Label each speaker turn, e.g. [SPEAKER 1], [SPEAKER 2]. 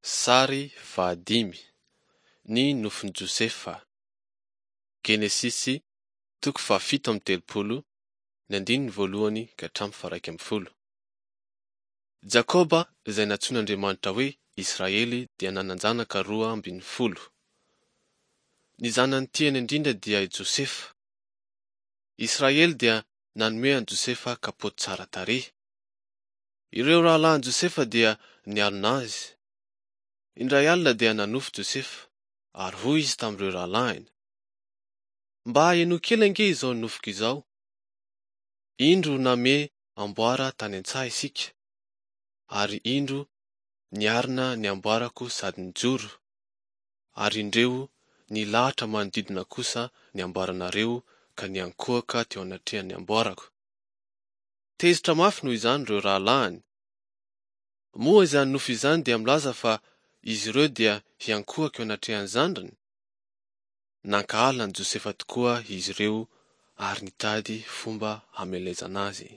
[SPEAKER 1] Sary fahadimy, Ny nofin'i Josefa. Genesisy toko fahafito amby 30, ny andininy voalohany ka hatramin'ny faha-11. Jakoba izay nantsoin'Andriamanitra hoe Israely dia nanan-janaka 12. Ny zanany tiany indrindra dia i Josefa. Israely dia nanome an'i Josefa kapoty tsara tarehy. Ireo rahalahin'i Josefa dia nialona azy. Indray alina dia nanofy Josefa, ary hoy izy tamin'ireo rahalahiny, Mba henoy kely ange izao nofiko izao. Indro namehy amboara tany an-tsaha isika, ary indro niarina ny amboarako sady nijoro, ary indreo nilahatra manodidina kosa ny amboaranareo ka niankohoka teo anatrehan'ny amboarako. Tezitra mafy noho izany ireo rahalahiny. Moa izany nofy izany dia milaza fa izy ireo dia hiankohoka eo anatrehan'ny zandriny? Nankahala an'i Josefa tokoa izy ireo ary nitady fomba hamelezana azy.